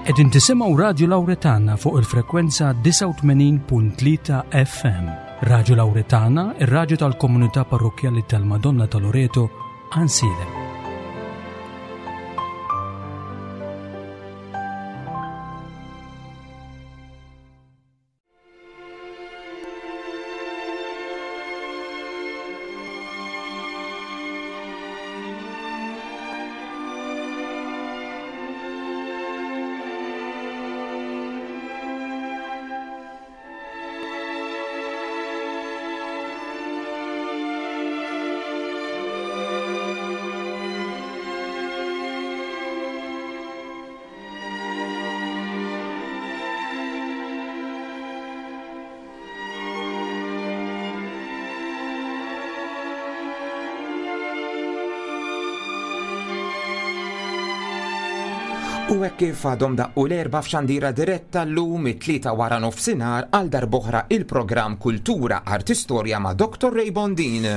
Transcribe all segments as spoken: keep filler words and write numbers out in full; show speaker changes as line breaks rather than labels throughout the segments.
Qegħdin tisimgħu Radju Lawretana fuq il-frekwenza disgħa u tmenin punt tlieta F M. Radju Lawretana, ir-radju tal-Komunità Parrokkjali tal-Madonna ta' Loreto, Għajnsielem.
U hekk kif għadhom daqqu l-erba f'xandira diretta llum it-tlieta wara nofsinhar, għal darb'oħra il-programm Kultura Artistorja ma' Doctor Ray Bondin.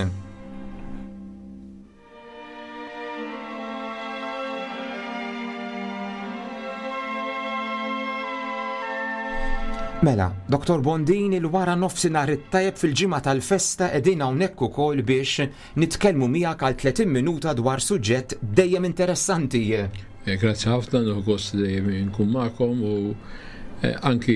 Mela, Doctor Bondin, il-wara nofsinhar it-tajjeb. Fil-ġimgħa tal-festa qegħdin hawnhekk ukoll biex nitkellmu miegħek għal tletin minuta dwar suġġett dejjem interessanti.
Eh, grazzi ħafna, nieħu gost dejjem nkun magħkom u eh, anki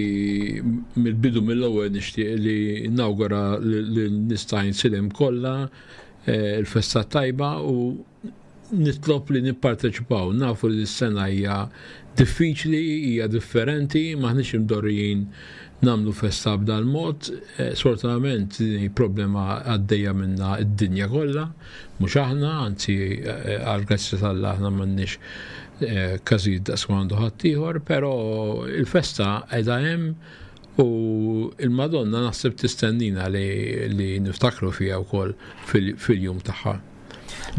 mill-bidu, mill-ewwel, nixtieq li nawgura lin-nies ta' Għajnsielem kollha eh, il-festa tajba u nitlob li nipparteċipaw. Nafu li s-sena hija diffiċli, hija differenti, m'aħniex imdorrijin nagħmlu festa b'dal mod. Sfortunatament din problema għaddejja minna id-dinja kollha, mhux aħna, anzi, għal grazzja t'Alla aħna m'għandniex eh, każijiet daqs għandu ħaddieħor, però il-festa qiegħda hemm u il-Madonna naħseb tistennina li, li niftakru fiha wkoll fil-jum tagħha.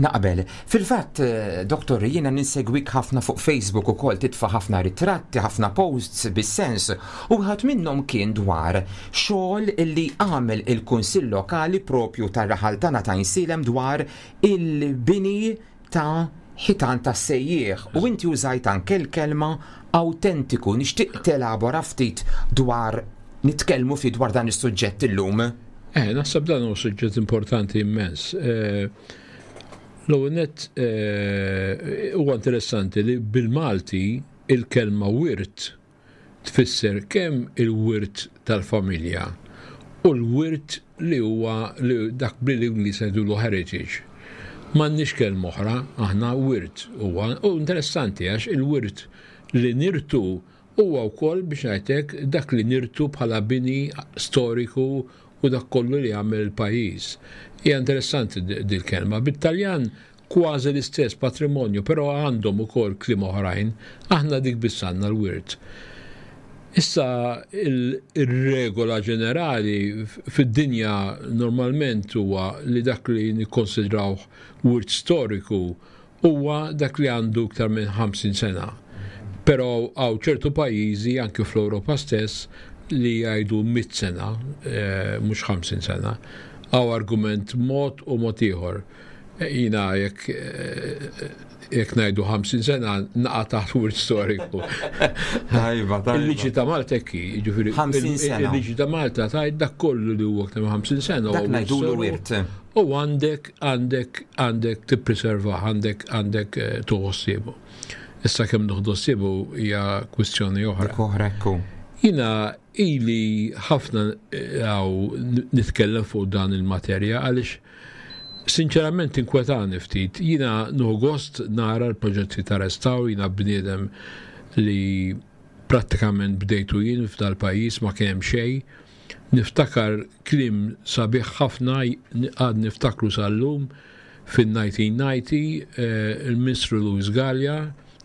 Naqbel. Fil-fatt, eh, doktor, jiena ninsegwik ħafna fuq Facebook ukoll, titfa' ħafna ritratti, ħafna posts bis-sens, u wieħed minnhom kien dwar xogħol illi għamel il-Kunsill Lokali propju tar-raħal tagħna ta' Għajnsielem dwar il-bini ta' ħitan ta' sejjieħ u inti użajt anke l-kelma autentiku. Nixtieq telabora ftit dwar, nitkellmu fi dwar dan is-suġġett illum.
Eh, naħseb dan huwa suġġett importanti immens. Eh, L-ewwel nett eh, huwa interessanti li bil-Malti il-kelma wirt tfisser kemm il-wirt tal-familja u l-wirt li huwa li dak bil-Ingliż jgħidulu heritage. M'għandniex kelma oħra, aħna wirt huwa. U interessanti għax il-wirt li nirtu huwa wkoll, biex ngħidlek, dak li nirtu bħala bini storiku u dak kollu li għamel il-pajjiż. Hija interessanti dil-kelma. Bit-Taljan kważi l-istess, patrimonju, però għandhom ukoll kliem oħrajn, aħna dik biss għandna, l-wirt. Issa, il-regola ġenerali fid-dinja normalment huwa li dak li nikkonsidraw wirt storiku huwa dak li għandu iktar minn ħamsin sena. Però hawn ċertu pajjiżi, anke fl-Ewropa stess, li jgħidu mitt sena, eh, mhux ħamsin sena. Hawn argument mod u mod ieħor. Jiena jekk eh, jekk ngħidu ħamsin sena naqa' taħt wirt storiku.
Tajba, tajba.
Il-liġi ta' Malta hekk, jiġifieri
ħamsin sena.
Il-liġi ta' Malta tgħid dak kollu li huwa aktar minn ħamsin sena.
Dak
huwa wirt
ngħidulu
storiku.
Wirt.
U għandek għandek għandek tippreserva, għandek għandek eh, tieħu ħsiebu. Issa kemm nieħdu ħsiebu hija kwistjoni oħra.
Dik oħra, ekku.
Jiena ili ħafna hawn nitkellem fuq dan il-materja għaliex sinċerament inkwetani ftit. Jiena nieħu gost nara l-proġetti ta' restawr, jiena bniedem li prattikament bdejtu jien f'dal pajjiż, ma kien hemm xejn. Niftakar kliem sabiħ ħafna, għad niftakru sal-lum, fin-elf disa' mija u disgħin eh, il-Ministru Louis Galea,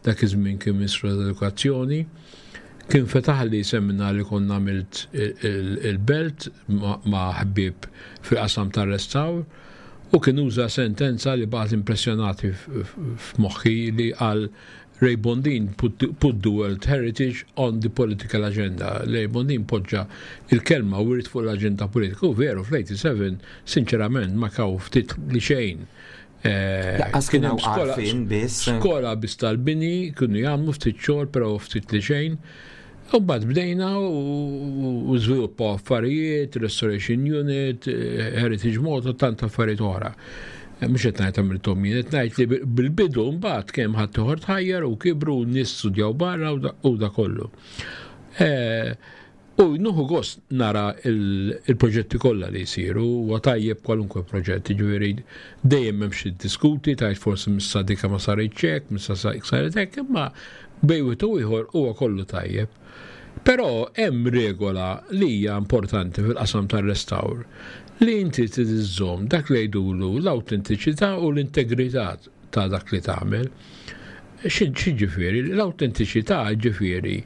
dak iż-żmien kien Ministru tal-Edukazzjoni, kien fetaħ li seminar li konna għamilt il-belt ma' ħbib fil-qasam tar-restawr u kien uża sentenza li baqgħet impressjonati f'moħħi, li qal: "Ray Bondin put, put the World Heritage on the political agenda." Ray Bondin poġġa il-kelma wirt fuq l-agenda politika. U veru, fl-tmienja u sebgħin, sinċerament, ma kaw ftit li xejn. Eh,
Lanqas
kien
kien
hemm
hawn
skola-
għarfien biss.
Skola biss tal-bini, kienu jagħmlu ftit xogħol, però ftit li xejn. U mbagħad bdejna u u żviluppaw affarijiet, Restoration Unit, eh, Heritage Malta, tant affarijiet oħra. Eh, Mhux qed ngħid għamilthom jien, qed ngħid li bil-bidu mbagħad kemm ħadd ieħor tħajjar u kibru u nies studjaw barra u da- u da kollu. Eh, U nieħu gost nara il- il-proġetti kollha li jsiru, u tajjeb kwalunkwe proġett, ġifieri dejjem hemm xi diskuti, tajt forsi missa dika ma saritx hekk, missa sa- saret hekk, imma bejn wieħed u ieħor huwa kollu tajjeb. Però hemm regola li hija importanti fil-qasam tar-restawr li inti trid iżżomm dak li jgħidulu l-awtentiċità u l-integrità ta' dak li tagħmel. Xi ġifieri? L-awtentiċità ġifieri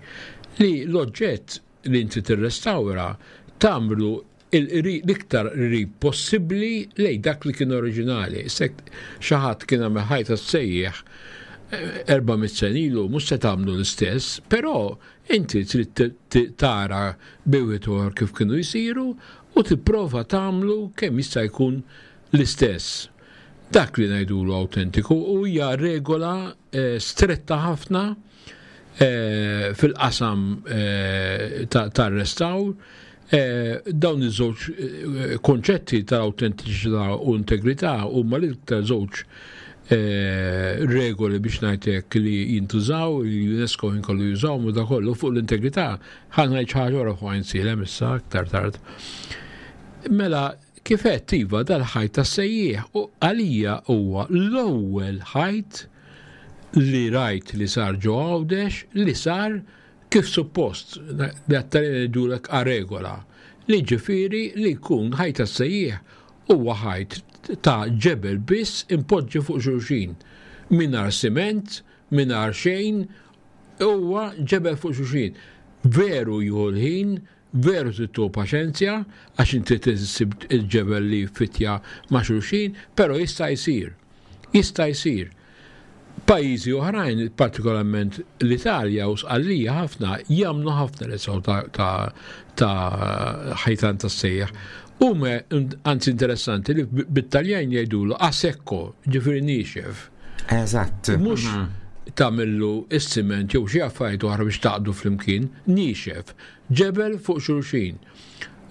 li l-oġġett li inti tirrestawra tagħmlu l-iktar qrib possibbli lej dak li kien oriġinali. Sek xi ħadd kien għamel ħajta sejjeħ erba' mitt sena ilu, mhux se tagħmlu l-istess, però inti trid t- t- tara bejn kif kienu jsiru u tipprova tagħmlu kemm jista' jkun l-istess. Dak li ngħidulu autentiku u hija regola eh, stretta ħafna eh, fil-qasam eh, ta- tar-restawr. Eh, dawn iż-żewġ eh, konċetti tal-autentiċità u integrità huma l-iktar żewġ eh, regoli biex ngħidlek li jintużaw, li UNESCO inkollu jużaw u da kollu fuq l-integrità. Ħa ngħid xi ħaġa oħra fuq Għajnsielem issa aktar tard. Mela, kif qed iva dal-ħajt tas-sejjieħ u għalija huwa l-ewwel ħajt li rajt li sar ġo Għawdex li sar kif suppost, li għattalin ngħidulek a regola, li ġifieri li jkun ħajt tas-sejjieħ huwa ħajt ta' ġebel biss impoġġi fuq xulxin. Mingħajr siment, mingħajr xejn, huwa ġebel fuq xulxin. Veru jieħu l-ħin, veru tittu paċenzja, għax inti tissib il-ġebel li fitja ma' xulxin, pero jista' jsir. Jista' jsir. Pajjiżi oħrajn, partikolarment l-Italja u Sqallija ħafna, jagħmlu ħafna restawr ta', ta', ta' ħajtan ta' sejjaħ. U me, anzi interessanti li bit-Taljan jgħidulu a secco, ġifieri niexef.
Eżatt.
Mhux tagħmillu is-siment jew xi affarijiet oħra biex taqdu flimkien, niexef, ġebel fuq xulxin.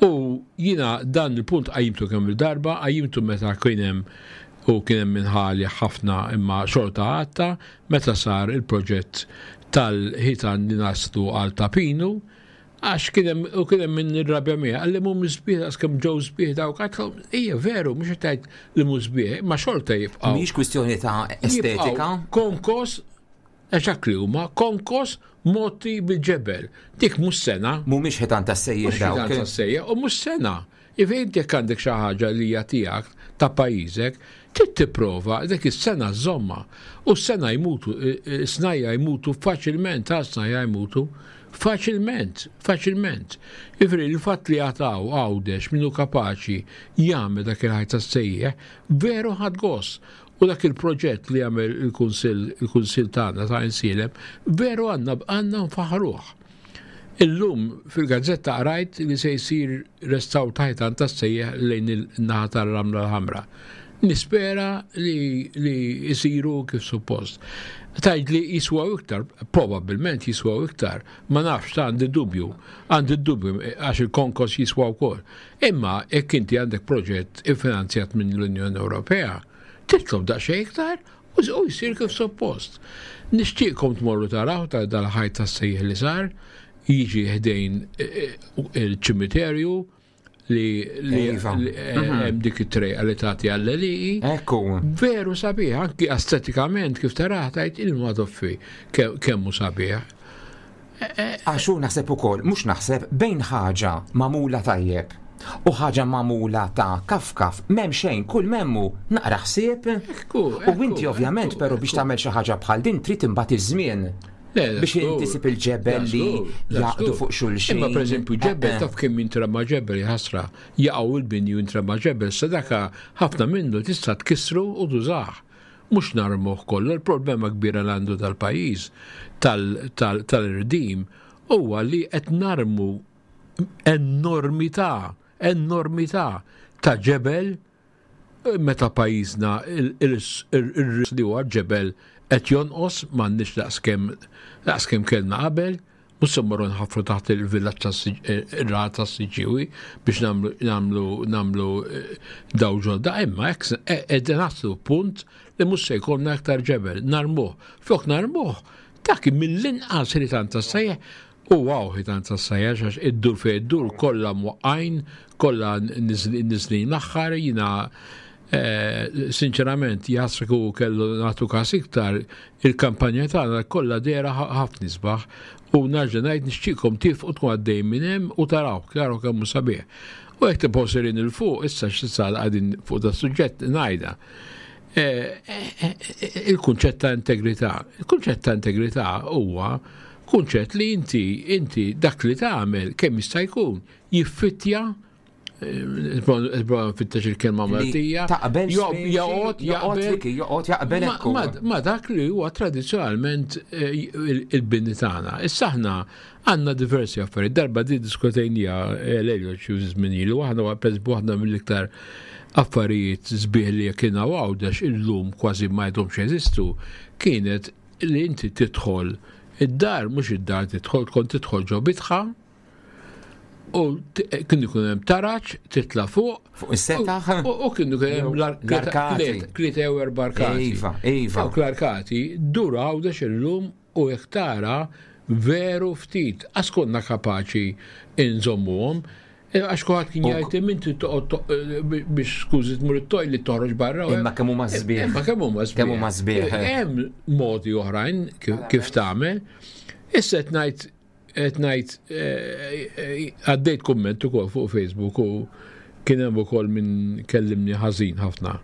U jina dan il-punt qajjimtu kemm il-darba, qajjimtu meta kien hemm u kien hemm minħali ħafna imma xorta għatta, meta sar il-proġett tal-ħitan li naslu għal Ta' Pinu, għax kien hemm u kien hemm minn irrabja miegħi, qalli mhum sbieħ għax kemm ġew sbieħ dawk, għedtlu, ija veru, mhux qed tgħid li mhux sbieħ, imma xorta jibqgħu.
Mhix kwistjoni ta' estetika.
Jibqgħu Konkos, għax li huma konkos moti bil-ġebel. Dik mhux sena.
Mhumiex ħitan ta' sejjeħ
Mhux ħitan
dawk.
ta' sejja u mhux sena. Iva inti jekk għandek xi ħaġa li hija tiegħek ta' pajjiżek, trid tipprova dik is-sena żomma. U s-sena jmutu, snajja jmutu faċilment, ta' snajja jmutu faċilment, faċilment. Ifri il-fatt li għataw Għawdex minnu kapaċi jagħmel dak il-ħajt tas-sejjeħ, veru ħadt gost. U dak il-proġett li għamel il-Kunsill il-Kunsill tagħna ta' Għajnsielem, veru għandna għandna nfaħruh. Illum fil-gazzetta qrajt li se jsir restawr ta' ħitan tas-sejjeħ lejn il-naħa tar-Ramla l-Ħamra. Nispera li, li jisiru kif suppost. Tgħid li jiswaw iktar, probabilment jiswaw iktar, ma nafx ta' għandi dubju, għandi dubju għax il-konkos jiswaw kol. Imma jekk inti għandek proġett iffinanzjat minn l-Unjoni Ewropea, titlob daqsxejn iktar u u jsir kif suppost. Nixtieqkom tmorru taraw ta' dal-ħajt tas-sejjeħ li sar, jiġi ħdejn eh, eh, il-ċimiterju li li
Iva.
li, eh, hemm dik it-trejqa li tagħti għall-għelieqi.
Ekku.
Veru sabiħ, anki estetikament kif taraħ tajt il-madoffi kemm hu sabiħ.
Għax hu naħseb ukoll, mhux naħseb bejn ħaġa magħmula tajjeb u ħaġa magħmula ta' kafkaf, m'hemm xejn, kull m'hemm hu naqra ħsieb.
Ekku,
U inti ovvjament però biex tagħmel xi ħaġa bħal din trid imbagħad iż-żmien. Biex inti sib il-ġebel li jaqdu fuq xulxin.
Imma per eżempju ġebel
Eh, eh.
taf kemm jintrama ġebel ħasra jaqgħu il-bini u jintrama ġebel sadaka ħafna minnu tista' tkissru u tużah. Mhux narmuh kollu, il-problema kbira li għandu tal-pajjiż tal-irdim huwa li qed narmu enormità, enormità ta' ġebel Meta pajjiżna il-ris li huwa ġebel qed jonqos, m'għandniex daqskemm daqskemm kellna qabel, mhux se mmorru nħaffru taħt il-villaġġ ir-raħal tas-Siġġiewi biex nagħmlu nagħmlu nagħmlu eh, daw ġodda, imma hekk qegħdin naslu punt li mhux se jkollna aktar ġebel, narmuh. Flok narmuh, dak mill-inqas ħitan tas-sajjeħ. U wow, ħitan tas-sajjeħ, għax iddur fejn iddur kollha mwaqqajn, kollha niżlin l-aħħar. Jiena eh, sinċerament jasku kellu nagħtu każ iktar il-kampanja tagħna kollha dehra ħafna isbaħ u nerġa' ngħid nixtieqkom tifqu tkun għaddej minn hemm u taraw, taraw kemm hu sabiħ. U jekk tibqgħu sejrin 'il fuq, issa x'issa qegħdin fuq da suġġett ngħidha. Eh, eh, il-kunċett ta' integrità. Il-kunċett ta' integrità huwa kunċett li inti inti dak li tagħmel kemm jista' jkun jiffittja, fittex il-kelma Maltija.
Taqbel.
Joqgħod
jaqbel. Joqgħod jaqbel.
Ma dak li huwa tradizzjonalment eh, il-bini tagħna. Issa aħna għandna diversi affarijiet. Darba di diskutejnija eh, lejlu xi żmien ilu, aħna pereżempju waħda mill-iktar affarijiet sbieħ li kien Għawdex, illum kważi ma jdomx jeżistu, kienet li inti tidħol id-dar, mhux id-dar tidħol, kont tidħol ġo bitħa, u kien ikun hemm taraġ titla' fuq.
Fuq is-setaħ.
U kien ikun hemm
l-arkati.
Tlieta jew erba' arkati.
Iva, iva.
Dawk l-arkati dur Għawdex illum u jekk tara veru ftit. Għax konna kapaċi inżommuhom. E, għax kulħadd kien jgħid inti toqgħod biex, skużi, tmur it-toilet toħroġ barra.
Imma kemm huma sbieħ.
Imma kemm huma sbieħ.
Kemm huma sbieħ.
Hemm modi oħrajn kif tagħmel. Issa qed ngħid qed ngħid eh, eh, għaddejt kumment ukoll fuq Facebook u kien hemm ukoll min kellimni ħażin ħafna.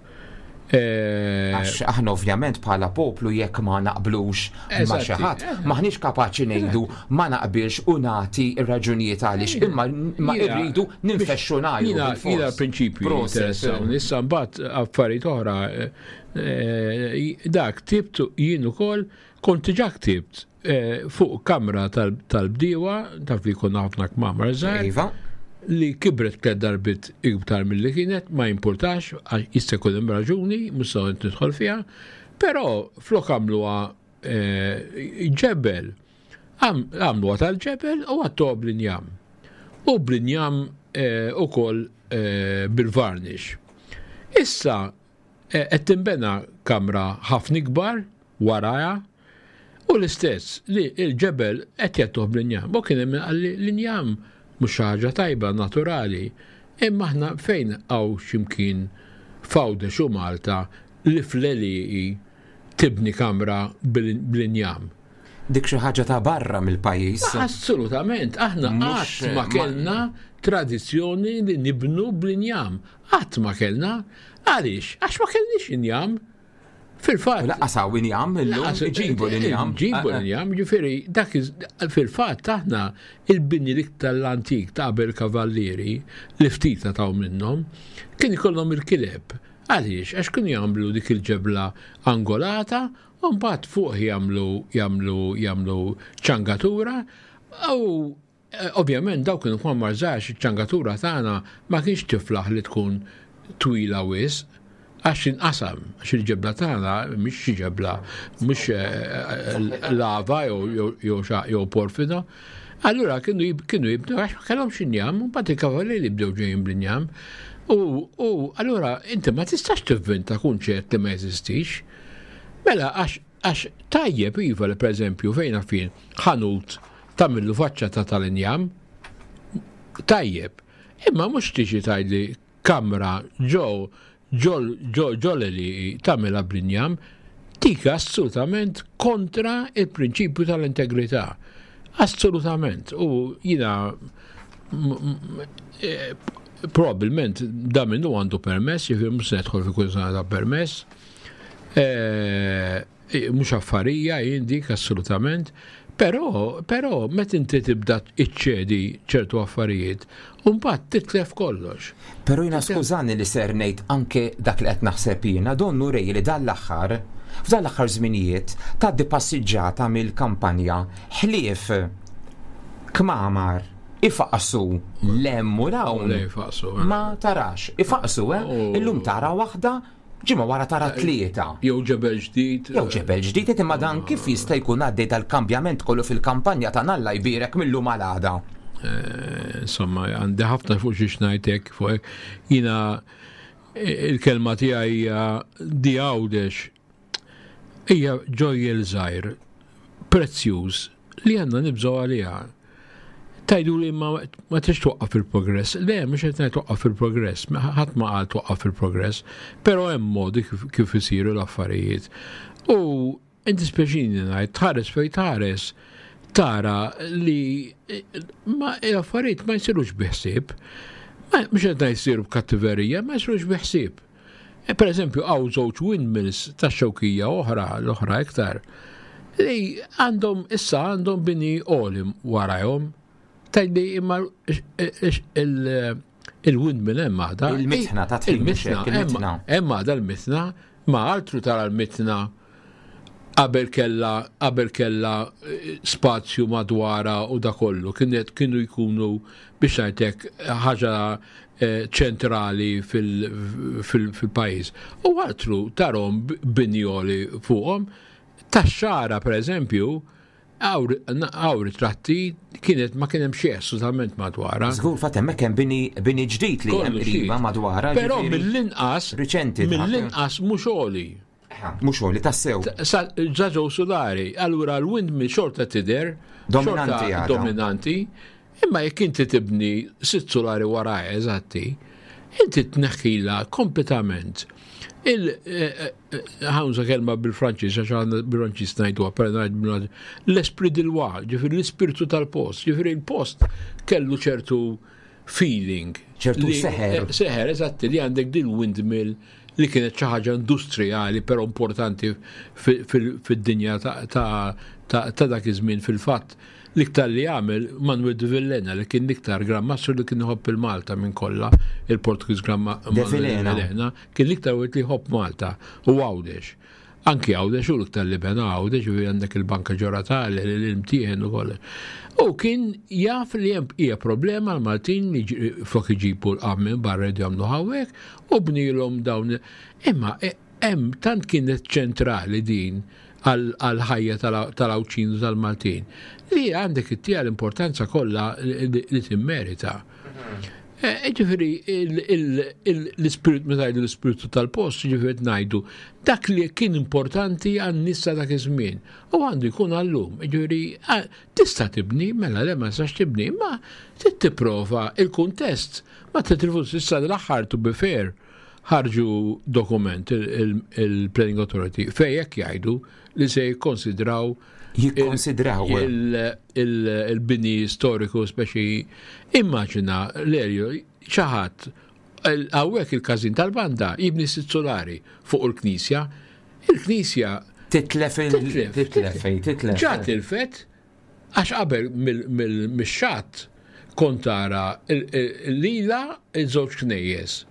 Eh,
Għax aħna ovvjament bħala poplu jekk ma naqblux ma xi ħadd, maħniex kapaċi ngħidu ma naqbilx u nagħti ir-raġunijiet għaliex, imma ma irridu ninfexxu ngħidu.
Jiena jiena prinċipju interessawni, issa mbagħad affarijiet oħra, dak ktibt jien ukoll, kont diġà ktibt fuq kamra tal-bdiewa, taf li konna ħafna kmamar żgħar.
Iva.
Li kibret tliet darbiet iktar milli kienet, ma jimpurtax, għax jista' jkun hemm raġuni, mhux se nidħol fiha, però flok għamluha eh, ġebel, għamluha tal-ġebel u għattuha bl-injam. U bl-injam eh, ukoll eh, bil-varnish. Issa qed tinbena kamra ħafna ikbar warajha u l-istess li il-ġebel qed jgħattuh bl-injam. U kien hemm qalli l-injam mhux xi ħaġa tajba naturali, imma aħna fejn hawn x'imkien f'Għawdex u Malta li fl-għelieqi tibni kamra bl-injam?
Dik xi ħaġa ta' barra mill-pajjiż.
Assolutament, aħna qatt ma kellna tradizzjoni li nibnu bl-injam. Qatt ma kellna. Għaliex? Għax ma kellniex injam. Fil-fatt.
Lanqas hawn injam illum, ġibu l-injam.
Ġibu l-injam, ġifieri, dak fil-fatt aħna il-bini l-iktar l-antik ta' qabel kavallieri li ftit taw minnhom kien ikollhom il-kileb. Għaliex? Għax kienu jagħmlu dik il-ġebla angolata u mbagħad fuq jagħmlu jagħmlu jagħmlu ċangatura u eh, ovvjament dawk kienu kmamar żgħar, iċ-ċangatura tagħna ma kienx tiflaħ li tkun twila wisq għax inqasam, għax il-ġebla tagħna mhix xi ġebla, mhux eh, lava jew jew porfida. Allura kienu kienu jibnu għax ma kellhomx injam, u mbagħad il-kavallieri bdew ġejjin bl-injam. U allura inti ma tistax tivvinta kunċett li ma jeżistix. Mela għax għax tajjeb iva li pereżempju fejn fin ħanut tagħmillu faċċata tal-injam, tajjeb. Imma mhux tiġi tgħidli kamra ġo ġol ġol li tagħmilha bl-injam, dik assolutament kontra il-prinċipju tal-integrità. Assolutament. U jiena e, probabilment da minnu għandu permess, jiġifieri mhux se nedħol fi kull ta' permess. E, e, mhux affarija jien dik assolutament. Però, però, meta inti tibda iċċedi ċertu affarijiet, mbagħad titlef kollox.
Però jiena, skużani li ser ngħid anke dak li qed naħseb jiena, donnu rej li dan l-aħħar, f'dan l-aħħar żminijiet, tgħaddi passiġġata mill-kampanja ħlief kmamar Ifaqsu 'l hemm u 'l hawn. Ma tarax. Ifaqsu, eh? Illum tara waħda, ġimgħa wara tara tlieta.
Jew ġebel ġdid.
Jew ġebel ġdid, imma dan kif jista' jkun għaddej dal-kambjament kollu fil-kampanja ta' Alla jbierek mil-lum għal għada?
Eh, insomma, għandi ħafna fuq xiex ngħidlek fuq jiena, il-kelma tiegħi hija di Għawdex hija ġojjel żgħir prezzjuż li għandna nibżgħu għaliha. Tgħidu li ma, ma tix twaqqaf il-progress. Le, mhux qed ngħid twaqqaf il-progress, ħadd ma qal twaqqaf il-progress, però hemm modi kif, kif isiru l-affarijiet. U inti speċini ngħid, tħares fejn tħares, tara li ma l-affarijiet ma jsirux bi ħsieb. Mhux qed ngħid jsiru b'kattiverija, ma jsirux bi ħsieb. E, per eżempju, hawn żewġ windmills ta' Xewkija oħra, l-oħra iktar, li għandhom issa għandhom bini għoli warajhom. Tgħidli imma il-windmill hemm għadha.
Il-mitħna ta'
Il-mitħna, hemm għadha l-mitħna, ma altru tara l-mitħna qabel kella qabel kella eh, spazju madwara u da kollu kienet kienu jkunu, biex ngħidlek, ħaġa eh, ċentrali fil-pajjiż. U altru tarahom bini għoli fuqhom. Tax-Xagħra, per eżempju, hawn ritratti, kienet ma kien hemm xi assolutament madwara.
Żgur, fatt hemmhekk hemm bini, bini ġdid li hemm qriba madwara.
Però mill-inqas
riċenti.
Mill-inqas mhux għoli.
Mhux għoli tassew.
Ġaġew solari, allura l-windmill xorta tidher.
Dominanti.
Dominanti. Imma jekk inti tibni sitt solari waraj eżatti, inti tneħħila kompletament. Il eh, eh, ħa nuża kelma bil-Franċiż, għax għandna bil-Franċiż ngħiduha, per ngħid l-esprit de loi, ġifieri l-ispirtu tal-post, ġifieri il-post kellu ċertu feeling.
Ċertu seħer.
Eh, seħer, eżatti, li għandek din windmill li kienet xi ħaġa industrijali però importanti fid-dinja ta' dak iż-żmien. Fil-fatt, l-iktar li għamel Manuel de Villena, li kien l-iktar Gran Mastru li kien iħobb il-Malta minn kollha, il-Portugiż Gran
Manuel de
Villena, kien l-iktar wieħed li jħobb Malta u Għawdex. Anki Għawdex, u l-iktar li bena Għawdex, u għandek il-Banka Ġoratali, l-imtieħen u kollox. U kien jaf li hemm hija problema l-Maltin li flok iġibu l-qam minn barra jagħmlu hawnhekk u bnilhom dawn. Imma e, hemm tant kienet ċentrali din għal-ħajja tal-Għawdxin u tal-Maltin li għandek ittiha l-importanza kollha li timmerita. E, ġifieri, l-ispirit, meta ngħidu l-ispiritu tal-post, ġifieri ngħidu dak li kien importanti għan-nies ta' dak iż-żmien u għandu jkun għallum. Ġifieri, tista' tibni, mela le ma tistax tibni, ma trid tipprova il-kuntest. Ma titrifus issa l-aħħar, to be fair, ħarġu dokument il-Planning Authority fejn jekk jgħidu li se jikkonsidraw
Jikkonsidraw.
il-bini storiku, speċi immaġina l-erju xi ħadd hawnhekk il-każin tal-banda jibni sitt solari fuq il-knisja, il-knisja
Titlef il- Titlef, titlef.
Ġa tilfet, għax qabel mill-xatt kont tara lila il-żewġ knejjes.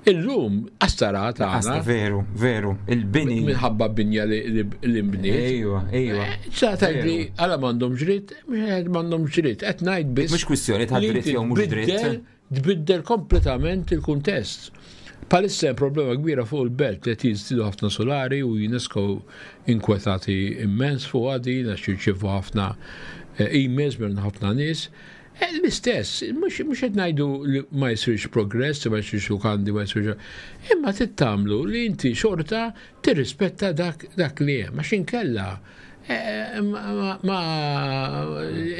Illum astara tagħna.
Veru, veru, il-bini.
Minħabba binja li mbniet.
Ejwa, ejwa.
ċa tgħidli għala m'għandhom dritt, m'għandhom dritt, qed ngħid biss.
Mhux kwistjoni ta' dritt jew mhux dritt.
Tbiddel kompletament il-kuntest. Bħalissa hemm problema kbira fuq il-belt li qed jiżdiedu ħafna solari u UNESCO inkwetati immens fuq għadi, għax jirċievu ħafna eh, emails minn ħafna nies. Eh, l-istess, mhux qed ngħidu li ma jsirx progress, ma jsirx lukandi, ma jsirx. Imma tittamlu li inti xorta tirrispetta dak, dak li hemm, għax inkella eh, ma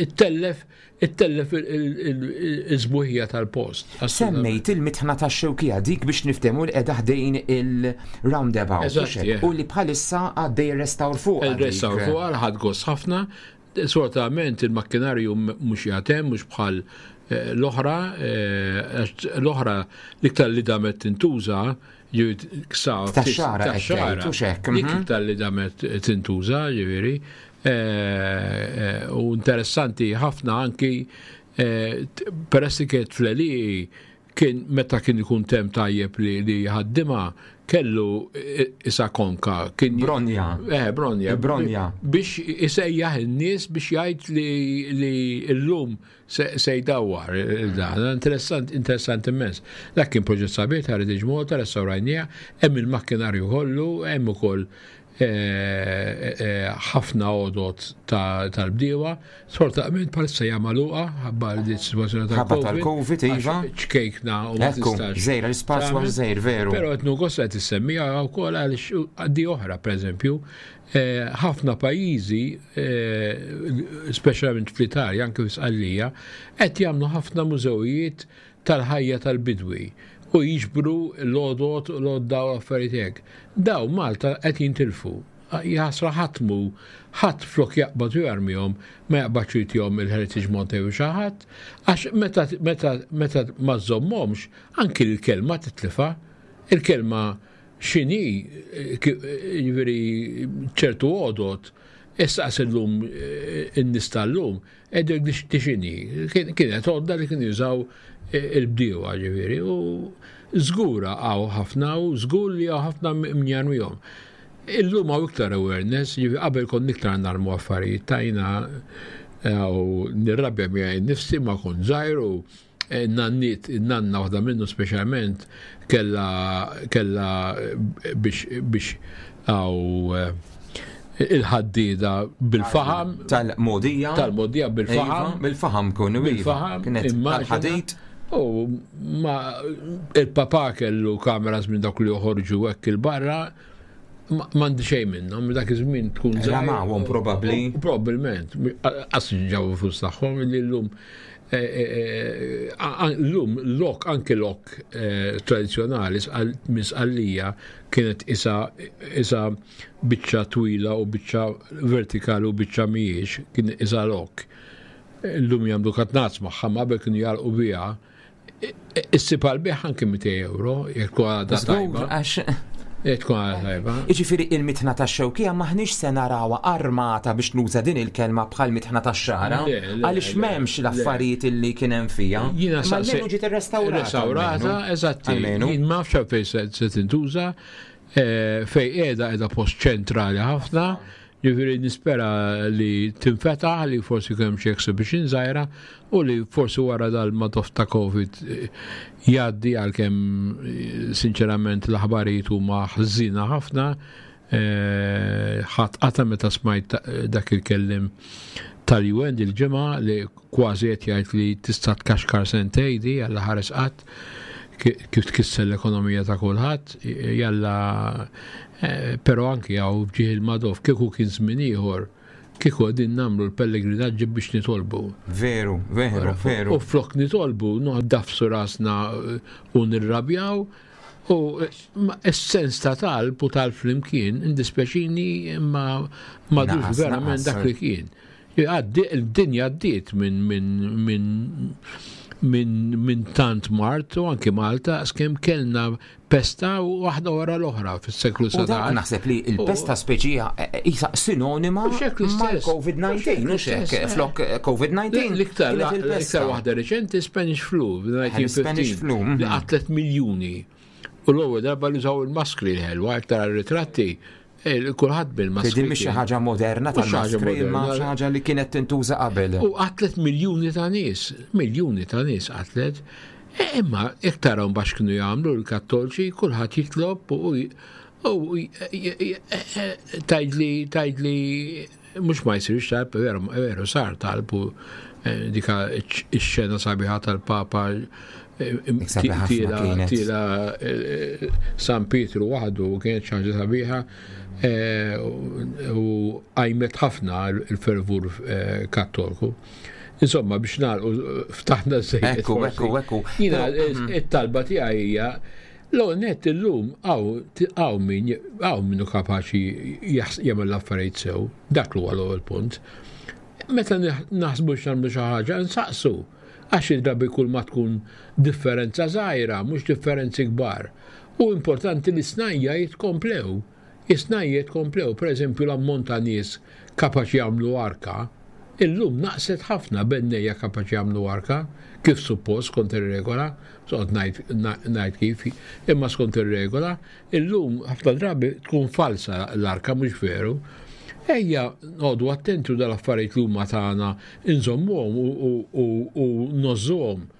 ittellef ittellef il-sbuħija tal-post.
Semmejt il-mitħna ta' Xewkija, dik biex niftehmu li qiegħda ħdejn il-roundabout. U li bħalissa għaddej restawr fuq.
Il-restawr fuq ħadt gost ħafna. Sfortunatament il-makkinarju mhux jaħdem, mhux bħal eh, l-oħra, eh, l-oħra l-iktar li damet tintuża,
Tax-Xagħra,
dik mhm. iktar li damet tintuża, ġifieri. Eh, u interessanti ħafna anki peress li kienet fl kien meta kien ikun temp tajjeb li ħaddima Kellu isa konka. Kien
Bronja.
Eh, Bronja.
Bronja.
Biex isejjaħ in-nies biex jgħid li, li llum se, se jdawwar dan. Interessant, interessant immens. Dak kien proġett sabiħ ta' Heritage Malta, restawrajnieh, hemm il-makkinarju kollu, hemm ukoll ħafna għodot tal-bdiewa. Sfortunatament bħalissa hija magħluqa ħabba li situazzjoni
Ħabba tal-Covid, iva.
Ċkejkna u ma
Ekku,
tistax.
żgħira, l-ispazju
tagħmel.
żgħir, veru.
Però qed nugost qed issemmija wkoll għaliex għaddi oħra, pereżempju, eh, ħafna pajjiżi, eh, speċjalment fl-Italja, anke f'Sqallija, qed jagħmlu ħafna mużewijiet tal-ħajja tal-bidwi u jiġbru l-għodot, l-għodda u affarijiet hekk. Daw Malta qed jintilfu. Jaħasra ħatmu, ħadd flok jaqbad u jarmihom, ma jaqbadx jtihom il-Heritage Malta jew xi ħadd, għax meta meta meta ma żommhomx, anki l-kelma titlifa, il-kelma x'inhi, jiġifieri ċertu għodot, issa illum in-nies tal-lum, qegħdu di x'inhi. Kienet għodda li kienu jużaw il-bdiewa ġifieri, u żgura hawn ħafna u żgur li hawn ħafna min jarmihom. Illum hawn iktar awareness, ġifieri qabel kont iktar narmu affarijiet tajna u nirrabja miegħi nnifsi ma kont żgħir u nannit, nanna waħda minnu speċjalment kella kella biex biex għaw il-ħaddida bil-faham.
Tal-modija.
Tal-modija bil-faham.
Iva, bil-faham kunu, iva.
Bil-faham,
Kienet
immaġina.
tal-ħadid.
U ma il-papa kellu kameras minn dak li joħorġu hekk il-barra, m'għandi xejn minnhom, dak iż-żmien tkun żgħir.
Ramawhom probabbli.
U Probabbilment, qas ġabu flus tagħhom li llum llum lok, anke lok eh, tradizzjonali minn Sqallija kienet isa isa biċċa twila u biċċa vertikali u biċċa mhijiex, kien isa lok. Llum jagħmlu katnazz magħha, ma qabel kienu jagħlqu biha. Issib għal-bejgħ anke mitejn euro, jekk tkun għadha
Żgur,
tajba.
għax
Jekk tkun għadha tajba.
Iġifieri il-mitħna tax-Xewkija maħniex se narawha armata, biex nuża din il-kelma, bħal mitħna tax-Xagħra,
Le, le,
għaliex
le,
m'hemmx
le.
l-affarijiet illi kien hemm fiha.
Jiena
Ma
saqsi-
almenu ġiet irrestawrata.
Restaurata,
almenu.
eżatti.
Almenu.
Jien ma nafx fejn se se tintuża, eh, fej qiegħda qiegħda post ċentrali ħafna, ġifieri nispera li tinfetaħ, li forsi kemm xi exhibition żgħira u li forsi wara dal-madof ta' Covid eh, jgħaddi, għalkemm eh, sinċerament l-aħbarijiet huma ħżina ħafna. eh, ħadd qata meta smajt ta- dak il-kellim tal-U N il-ġimgħa li kważi qed jgħid li tista' tkaxkar sentejn di għalla ħares qatt ki- kif tkisser l-ekonomija ta' kulħadd, jalla eh, però anki hawn f'ġieħ il-Madoff, kieku kien żmien ieħor, kieku qegħdin nagħmlu l-pellegrinaġġi biex nitolbu.
Veru, veru, veru.
U flok nitolbu, noqogħdu rasna eh, u nirrabjaw, u eh, ma is-sens ta' talb u talb flimkien, indispjaċini, ma madux
Naqas,
verament
naqas.
dak li kien. Għaddi- Il-dinja għaddiet minn min, min, min, min tant mard u anki Malta skem kellna pesta u waħda wara l-oħra fis-seklu
U dak
sbatax.
naħseb li il-pesta speċija isa sinonima
U xek l-istess.
mal-Covid nineteen, u xek,
L-istess, eh.
flok eh, Covid nineteen.
L-iktar
kienet il-pesta.
l-iktar waħda reċenti Spanish flu
Spanish
fil-elf disa' mija u ħmistax
flu, mhm.
li qatlet miljuni. U l-ewwel darba li użaw il-maskri l-ħelwa, iktar ritratti, eh, kulħadd bil-maskri.
Din mhix xi
kien.
ħaġa moderna
Mhux xi ħaġa
tal-maskri, imma
moderna.
xi ħaġa li kienet tintuża qabel.
U qatlet miljuni ta' nies, miljuni ta' nies qatlet. E, Imma iktar hawn bax kienu jagħmlu l-Kattolċi, kulħadd jitlob u u tgħidli tgħidli mhux ma jsirx talb, veru veru sar talb u eh, dika ix-xena sabiħa tal-Papa eh,
Dik sabiħa ħafna
tila
kienet.
tila eh, San Pietru waħdu kienet xi ħaġa sabiħa eh, u għajmet ħafna il-fervur eh, kattolku. Insomma, biex nagħlqu, ftaħna żejjed.
Ekku,
forsi.
ekku, ekku.
Jiena
Però-
it-talba tiegħi hija l net illum hawn hawn min hawn minnu kapaċi jaħs- jagħmel l-affarijiet sew, dak huwa l-ewwel punt. Meta naħsbu x'nagħmlu xi ħaġa, nsaqsu. Għax id-drabi kull ma tkun differenza żgħira, mhux differenzi kbar. U importanti li snajja jitkomplew. Is-snajja jitkomplew, per eżempju l-ammont ta' nies kapaċi jagħmlu arka, Illum naqset ħafna bennejja kapaċi jagħmlu arka kif suppost skont ir-regola, soqgħod ngħid kif, imma skont ir-regola, illum ħafna drabi tkun falsa l-arka, mhux veru. Ejja noqogħdu attenti u dal-affarijiet li huma tagħna inżommuhom u ngħożżuhom.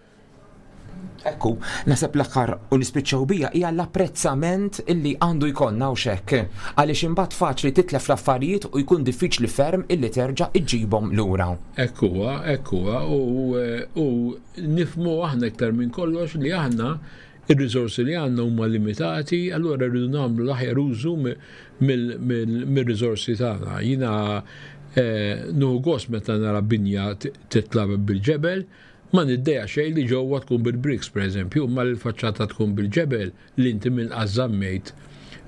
Ekku, naħseb l-aħħar u nispiċċaw bija hija l-apprezzament illi għandu jkollna u xekk. Għaliex imbagħad faċli titlef l-affarijiet u jkun diffiċli ferm illi terġa' iġġibhom lura.
Ekku, ekku, u nifhmu aħna iktar minn kollox li aħna ir-riżorsi li għandna huma limitati, allura rridu nagħmlu l-aħjar użu mir-riżorsi tagħna. Jiena nieħu gost meta nara binja titla' bil-ġebel, ma niddejjaq xejn li ġewwa tkun bil-bricks, per eżempju, ma l-faċċata tkun bil-ġebel li inti minn żammejt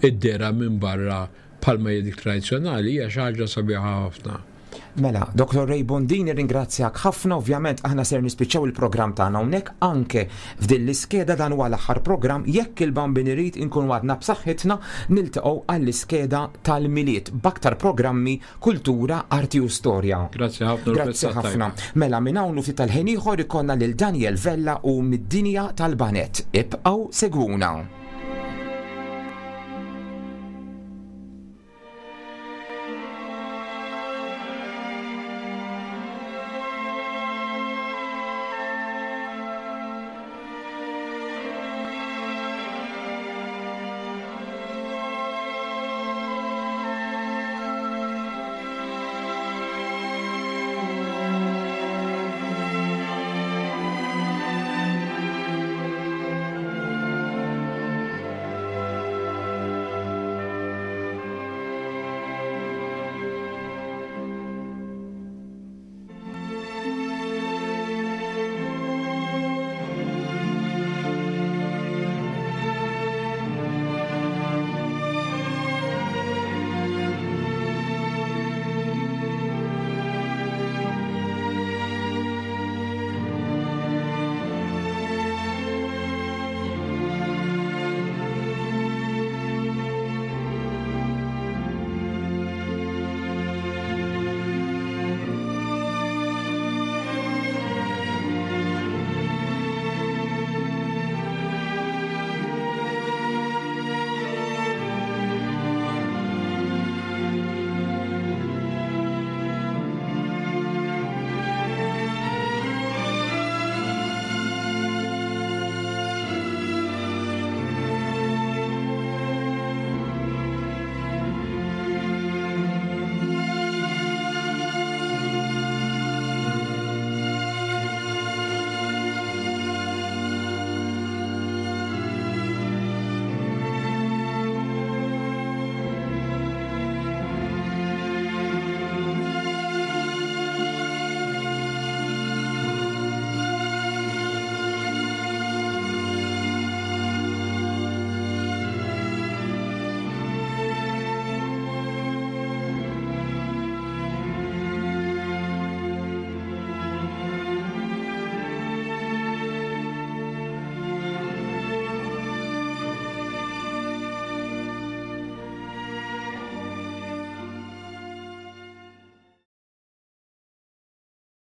id-dehra minn barra bħalma dik tradizzjonali, hija xi ħaġa sabiħa ħafna.
Mela, Doktor Ray Bondin, ringrazzjak ħafna. Ovvjament aħna ser nispiċċaw il-programm tagħna hawnhekk anke f'din l-iskeda. Dan huwa l-aħħar programm. Jekk il-Bambin irid, inkun għadna b'saħħitna, niltaqgħu għall-iskeda tal-Milied b'aktar programmi, kultura, arti u storja.
Grazzi ħafna.
Grazzi ħafna. Mela, minn hawn ftit tal-ħin ieħor ikollna lil Daniel Vella u mid-dinja tal-baned. Ibqgħu segwuna.